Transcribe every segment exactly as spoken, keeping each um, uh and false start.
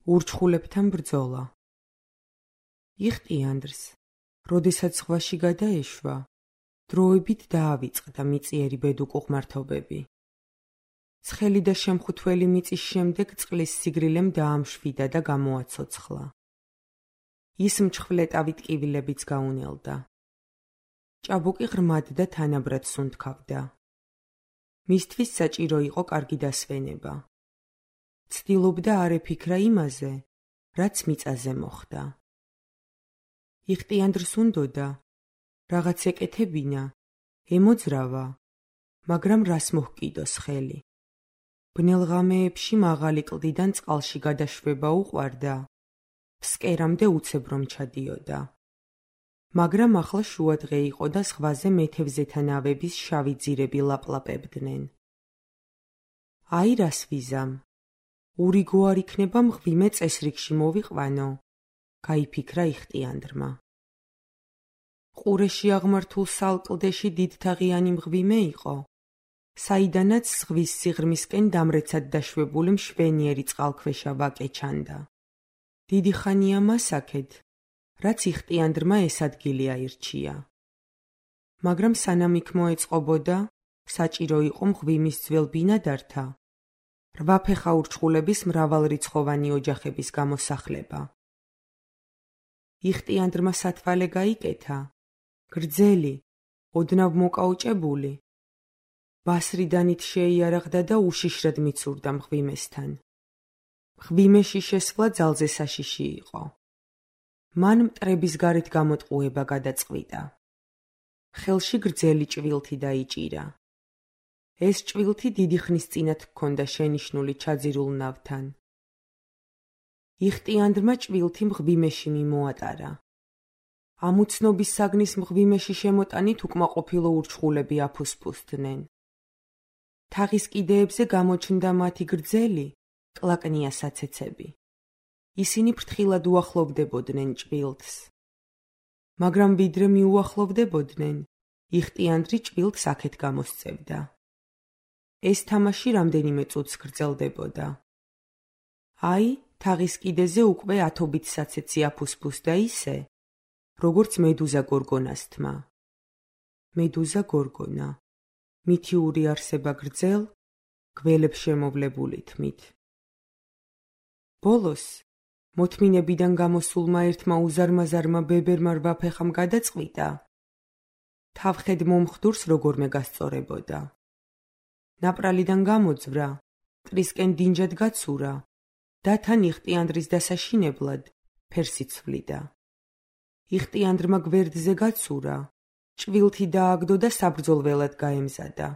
ურჩხულებთან ბრძოლა. იხტიანდრს, როდესაც ზღვაში გადაეშვა, დროებით დაავიწყდა მიწიერი ბედუკუღმართობები. ცხელი და შემხუთველი მიწის შემდეგ წყლის სიგრილემ დაამშვიდა და გამოაცოცხლა. ის მჩხვლეტავით კივილებიც გაუნელდა. ჭაბუკი ღრმად და თანაბრად სუნთქავდა. მისთვის საჭირო იყო კარგი დასვენება. ცდილობდა არ ეფიქრა იმაზე, რაც მიწაზე მოხდა. იხტიანდრს უნდოდა რაღაც ეკეთებინა, ემოძრავა, მაგრამ რას მოჰკიდოს ხელი. ბნელ ღამეებში მაღალი კლდიდან წყალში გადაშვება უყვარდა, ფსკერამდე უცებ რომ ჩადიოდა. მაგრამ ახლა შუადღე იყო და ზღვაზე მეთევზეთა ნავების შავი ძირები ლაპლაპებდნენ. აი რას ვიზამ, ურიგო არ იქნება მღვიმე წესრიგში მოვიყვანო, გაიფიქრა იხტიანდრმა. ყურეში აღმართულ სალკლდეში დიდთაღიანი მღვიმე იყო, საიდანაც ზღვის სიღრმისკენ დამრეცად დაშვებული მშვენიერი წყალქვეშა ვაკე ჩანდა. დიდი ხანია მას აქეთ, რაც იხტიანდრმა ეს ადგილი აირჩია. მაგრამ სანამ იქ მოეწყობოდა, საჭირო იყო მღვიმის ძველ ბინადართა, რვაფეხა ურჩხულების მრავალრიცხოვანი ოჯახების გამოსახლება. იხტიანდრმა სათვალე გაიკეთა, გრძელი, ოდნავ მოკაუჭებული. ბასრიდანით შეიარაღდა და უშიშრად მიცურდა მღვიმესთან. მღვიმეში შესვლა ძალზე საშიში იყო. მან მტრების გარეთ გამოტყუება გადაწყვიტა. ხელში გრძელი ჭვილთი დაიჭირა. ეს ჭვილთი დიდი ხნის წინათ ჰქონდა შენიშნული ჩაძირულ ნავთან. იხტიანდრმა ჭვილთი მღვიმეში მიმოატარა. ამუცნობის საგნის მღვიმეში შემოტანით უკმაყოფილო ურჩხულები აფუსფუსდნენ. თაღის კიდეებზე გამოჩნდა მათი გრძელი, კლაკნია საცეცები. ისინი ფრთხილად უახლოვდებოდნენ ჭვილთს. მაგრამ ვიდრე მიუახლოვდებოდნენ, იხტიანდრი ჭვილთს აქეთ გამოსწევდა. ეს თამაში რამდენიმე წუთს გრძელდებოდა. აი, თაღის კიდეზე უკვე ათობით საცეცი აფუსფუსდა ისე, როგორც მედუზა გორგონას თმა. მედუზა გორგონა, მითიური არსება გრძელ, გველებ შემოვლებული თმით. ბოლოს, მოთმინებიდან გამოსულმა ერთმა უზარმაზარმა ბებერმა რვაფეხამ გადაწყვიტა, თავხედ მომხდურს როგორმე გასწორებოდა. ნაპრალიდან გამოძვრა, მტრისკენ დინჯად გაცურა და თან იხტიანდრის დასაშინებლად ფერს იცვლიდა. იხტიანდრმა გვერდზე გაცურა, ჭვილთი დააგდო და საბრძოლველად გაემზადა.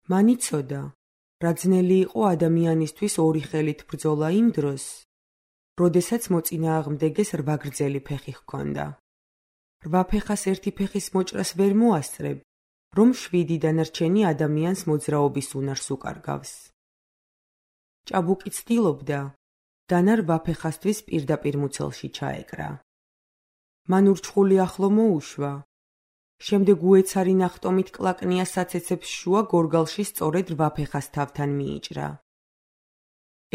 მან იცოდა, რა ძნელი იყო ადამიანისთვის ორი ხელით ბრძოლა იმ დროს, როდესაც მოწინააღმდეგეს რვა გრძელი ფეხი ჰქონდა. რვა ფეხას ერთი ფეხის მოჭრას ვერ მოასწრებ, რომ შვიდი დანარჩენი ადამიანს მოძრაობის უნარს უკარგავს. ჭაბუკი ცდილობდა, დანა რვა ფეხასთვის პირდაპირ მუცელში ჩაეკრა. მან ურჩხული ახლო მოუშვა. შემდეგ უეცარი ნახტომით კლაკნია საცეცებს შუა გორგალში სწორედ რვა ფეხას თავთან მიიჭრა.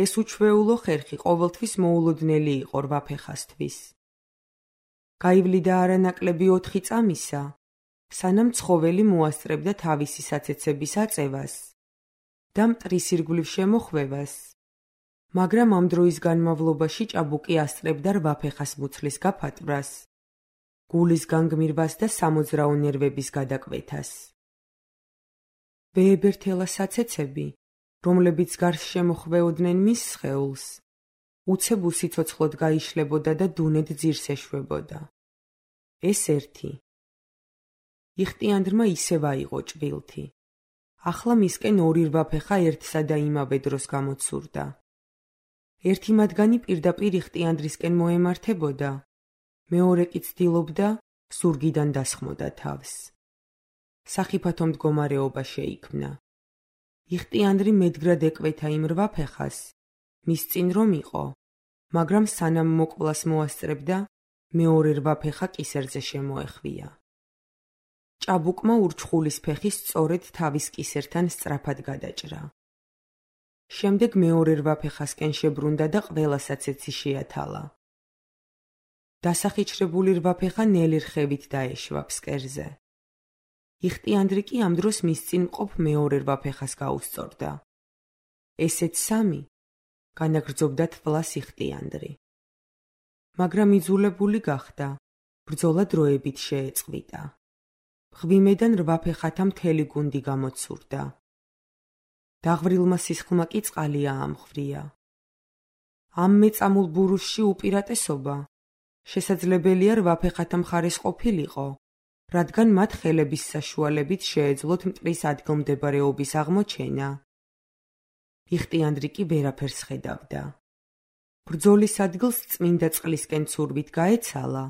ეს უჩვეულო ხერხი ყოველთვის მოულოდნელი იყო რვა ფეხასთვის. გაივლიდა არანაკლები ოთხი წამისა, სანამ ცხოველი მოასწრებდა თავისი საცეცების აწევას და მტრის ირგვლივ შემოხვევას, მაგრამ ამ დროის განმავლობაში ჭაბუკი ასწრებდა რვა ფეხას მუცლის გაფატვრას, გულის განგმირვას და სამოძრაო ნერვების გადაკვეთას. ვეებერთელა საცეცები, რომლებიც გარს შემოხვეოდნენ მის სხეულს, უცებ უსიცოცხლოდ გაიშლებოდა და დუნედ ძირს ეშვებოდა. ეს ერთი. იხტიანდრმა ისევ აიღო ჭვილთი. ახლა მისკენ ორი რვა ფეხა ერთსა და იმავე დროს გამოცურდა. ერთი მათგანი პირდაპირ იხტიანდრისკენ მოემართებოდა, მეორე კი ცდილობდა ზურგიდან დასხმოდა თავს. სახიფათო მდგომარეობა შეიქმნა. იხტიანდრი მედგრად ეკვეთა იმ რვა ფეხას, მის წინ რომ იყო, მაგრამ სანამ მოკვლას მოასწრებდა, მეორე რვა ფეხა კისერზე შემოეხვია. ჭაბუკმა ურჩხულის ფეხი სწორედ თავის კისერთან სწრაფად გადაჭრა. შემდეგ მეორე რვაფეხასკენ შებრუნდა და ყველასაც ეცი შეათალა. დასახიჩრებული რვაფეხა ნელი რხევით დაეშვა ფსკერზე. იხტიანდრი კი ამ დროს მის წინ მყოფ მეორე რვაფეხას გაუსწორდა. ესეც სამი განაგრძობდა თვლას იხტიანდრი. მაგრამ იძულებული გახდა, ბრძოლა დროებით შეეწყვიტა. მღვიმედან რვაფეხათა მთელი გუნდი გამოცურდა. დაღვრილმა სისხლმა კი წყალი აამხვრია. ამ მეწამულ ბურუსში უპირატესობა შესაძლებელია რვაფეხათა მხარეს ყოფილიყო, რადგან მათ ხელების საშუალებით შეეძლოთ მტრის ადგილმდებარეობის აღმოჩენა. იხტიანდრი კი ვერაფერს ხედავდა. ბრძოლის ადგილს წმინდა წყლისკენ ცურვით გაეცალა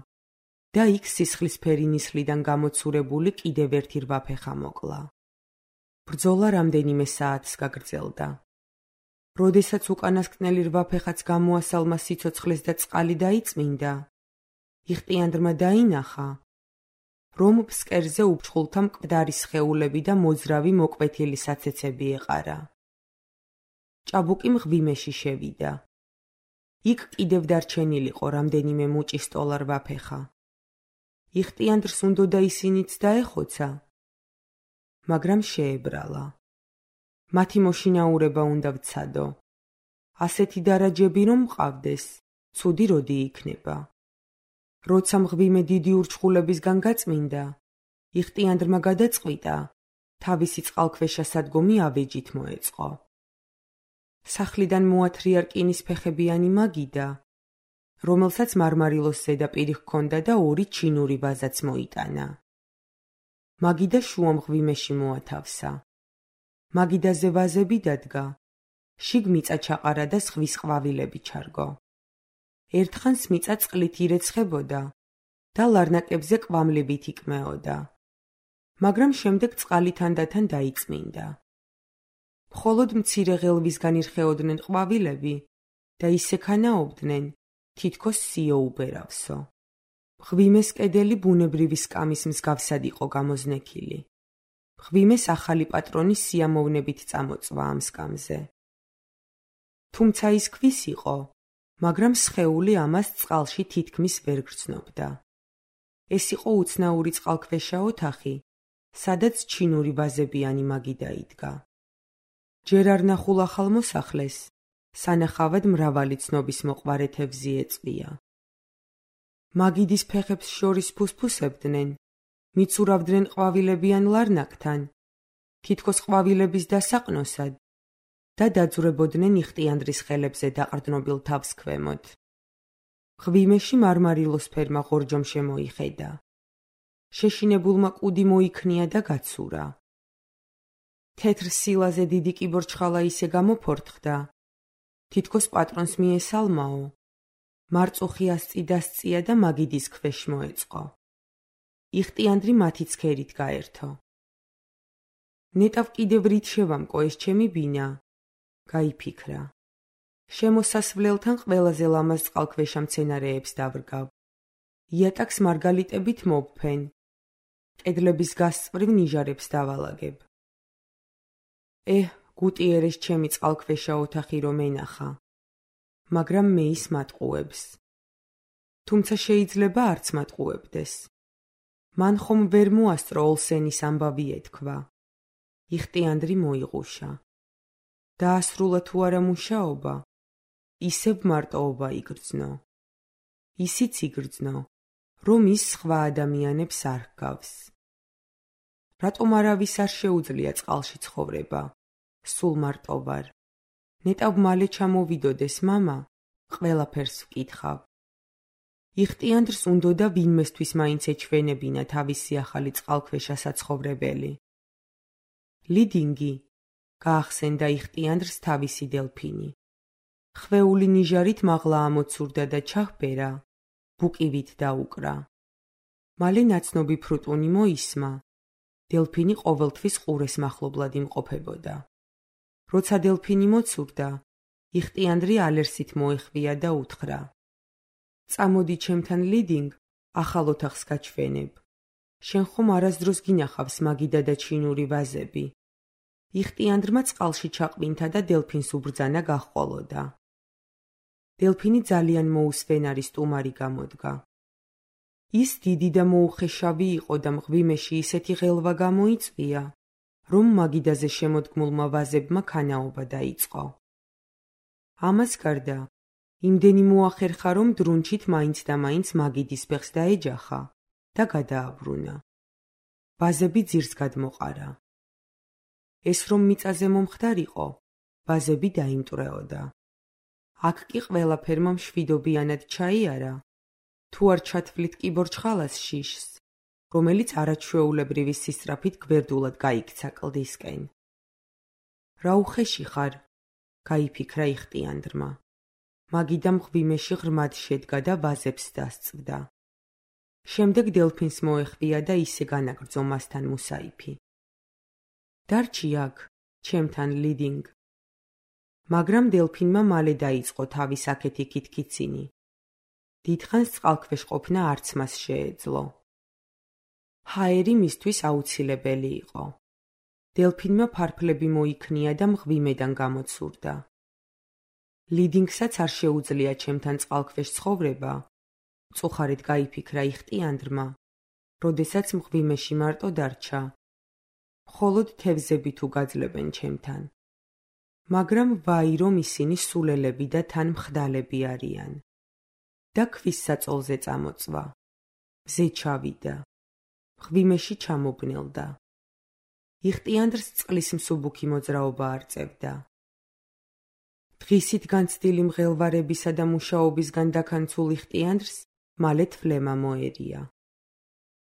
და იქ სისხლისფერი ნისლიდან გამოცურებული კიდევ ერთი რვაფეხა მოკლა. ბრძოლა რამდენიმე საათს გაგრძელდა. როდესაც უკანასკნელი რვაფეხაც გამოასალმა სიცოცხლეს და წყალი დაიწმინდა, იხტიანდრმა დაინახა, რომ ფსკერზე უფრთხულთა მკვდარი სხეულები და მოძრავი მოკვეთილი საცეცები ეყარა. ჭაბუკი მღვიმეში შევიდა. იქ კიდევ დარჩენილიყო რამდენიმე მუჭი სტოლა რვაფეხა. იხტიანდრს უნდოდა ისინიც დაეხოცა, მაგრამ შეებრალა. მათი მოშინაურება უნდა ვცადო. ასეთი დარაჯები რომ მყავდეს, ცუდი როდი იქნება. როცა მღვიმე დიდი ურჩხულებისგან გაწმინდა, იხტიანდრმა გადაწყვიტა, თავისი წყალქვეშა სადგომი ავეჯით მოეწყო. სახლიდან მოათრია რკინის ფეხებიანი მაგიდა, რომელსაც მარმარილოს ზედაპირი ჰქონდა და ორი ჩინური ვაზაც მოიტანა. მაგიდა შუა მღვიმეში მოათავსა. მაგიდაზე ვაზები დადგა, შიგ მიწა ჩაყარა და ზღვის ყვავილები ჩარგო. ერთხანს მიწა წყლით ირეცხებოდა და ლარნაკებზე კვამლებით იკმეოდა, მაგრამ შემდეგ წყალი თანდათან დაიწმინდა. მხოლოდ მცირე ღელვისგან ირხეოდნენ ყვავილები და ისე ქანაობდნენ, თითქოს სიო უბერავსო. მღვიმეს კედელი ბუნებრივი სკამის მსგავსად იყო გამოზნექილი. მღვიმეს ახალი პატრონი სიამოვნებით წამოწვა ამ სკამზე. თუმცა ის ქვის იყო, მაგრამ სხეული ამას წყალში თითქმის ვერ გრძნობდა. ეს იყო უცნაური წყალქვეშა ოთახი, სადაც ჩინური ვაზებიანი მაგიდა იდგა. ჯერ არ ნახულ ახალ მოსახლეს, სანახავად მრავალი ცნობის მოყვარე თევზი ეწვია. მაგიდის ფეხებს შორის ფუსფუსებდნენ, მიცურავდნენ ყვავილებიან ლარნაკთან, თითქოს ყვავილების დასაყნოსად და დაძვრებოდნენ იხტიანდრის ხელებზე დაყრდნობილ თავს ქვემოთ. მღვიმეში მარმარილოსფერმა ღორჯომ შემოიხედა. შეშინებულმა კუდი მოიქნია და გაცურა. თეთრ სილაზე დიდი კიბორჩხალა ისე გამოფორთხდა, თითქოს პატრონს მიესალმაო, მარწუხი ასწი დასწია და მაგიდის ქვეშ მოეწყო. იხტიანდრი მათი ცქერით გაერთო. ნეტავ კიდევ რით შევამკო ეს ჩემი ბინა, გაიფიქრა. შემოსასვლელთან ყველაზე ლამაზ წყალქვეშა მცენარეებს დავრგავ. იატაკს მარგალიტებით მოვფენ. კედლების გასწვრივ ნიჟარებს დავალაგებ. ეჰ, გუტიერეს ჩემი წყალქვეშა ოთახი რომ ენახა, მაგრამ მე ის მატყუებს. თუმცა შეიძლება არც მატყუებდეს. მან ხომ ვერ მოასწრო ოლსენის ამბავი ეთქვა. იხტიანდრი მოიღუშა. დაასრულა თუ არა მუშაობა, ისევ მარტოობა იგრძნო. ისიც იგრძნო, რომ ის სხვა ადამიანებს არ ჰგავს. რატომ არავის არ შეუძლია წყალში ცხოვრება, სულ მარტო ვარ. ნეტავ მალე ჩამოვიდოდეს მამა, ყველაფერს ვკითხავ. იხტიანდრს უნდოდა ვინმესთვის მაინც ეჩვენებინა თავისი ახალი წყალქვეშა საცხოვრებელი. ლიდინგი გაახსენდა იხტიანდრს თავისი დელფინი. ხვეული ნიჟარით მაღლა ამოცურდა და ჩაჰბერა, ბუკივით დაუკრა. მალე ნაცნობი ფრუტუნი მოისმა. დელფინი ყოველთვის ყურეს მახლობლად იმყოფებოდა. როცა დელფინი მოცურდა, იხტიანდრი ალერსით მოეხვია და უთხრა: წამოდი ჩემთან ლიდინგ, ახალ ოთახს გაჩვენებ. შენ ხომ არასდროს გინახავს მაგიდა და ჩინური ვაზები. იხტიანდრმა წყალში ჩაყბინთა და დელფინს უბრძანა გაჰყოლოდა. დელფინი ძალიან მოუსვენარი სტუმარი გამოდგა. ის დიდი და მოუხეშავი იყო და მღვიმეში ისეთი ღელვა გამოიწვია, რომ მაგიდაზე შემოდგმულმა ვაზებმა ქანაობა დაიწყო. ამას გარდა, იმდენი მოახერხა, რომ დრუნჩით მაინც და მაინც მაგიდის ფეხს დაეჯახა და გადააბრუნა. ვაზები ძირს გადმოყარა. ეს რომ მიწაზე მომხდარიყო, ვაზები დაიმტვრეოდა. აქ კი ყველაფერმა მშვიდობიანად ჩაიარა, თუ არ ჩათვლით კიბორჩხალას შიშს, რომელიც არაჩვეულებრივი სისწრაფით გვერდულად გაიქცა კლდისკენ. რა უხეში ხარ, გაიფიქრა იხტიანდრმა. მაგიდა მღვიმეში ღრმად შედგა და ვაზებს დასწვდა. შემდეგ დელფინს მოეხვია და ისე განაგრძო მასთან მუსაიფი. დარჩი აქ, ჩემთან ლიდინგ. მაგრამ დელფინმა მალე დაიწყო თავის აქეთი ქითქიცინი. დიდხანს წყალქვეშ ყოფნა არც მას შეეძლო. ჰაერი მისთვის აუცილებელი იყო. დელფინმა ფარფლები მოიქნია და მღვიმედან გამოცურდა. ლიდინგსაც არ შეუძლია ჩემთან წყალქვეშ ცხოვრება, მწუხარედ გაიფიქრა იხტიანდრმა, როდესაც მღვიმეში მარტო დარჩა. მხოლოდ თევზები თუ გაძლებენ ჩემთან. მაგრამ ვაი რომ ისინი სულელები და თან მხდალები არიან. და ქვის საწოლზე წამოწვა. მზე ჩავიდა. მღვიმეში ჩამობნელდა. იხტიანდრს წყლის მსუბუქი მოძრაობა არწევდა. დღისით განცდილი მღელვარებისა და მუშაობისგან დაქანცულ იხტიანდრს მალე თვლემა მოერია.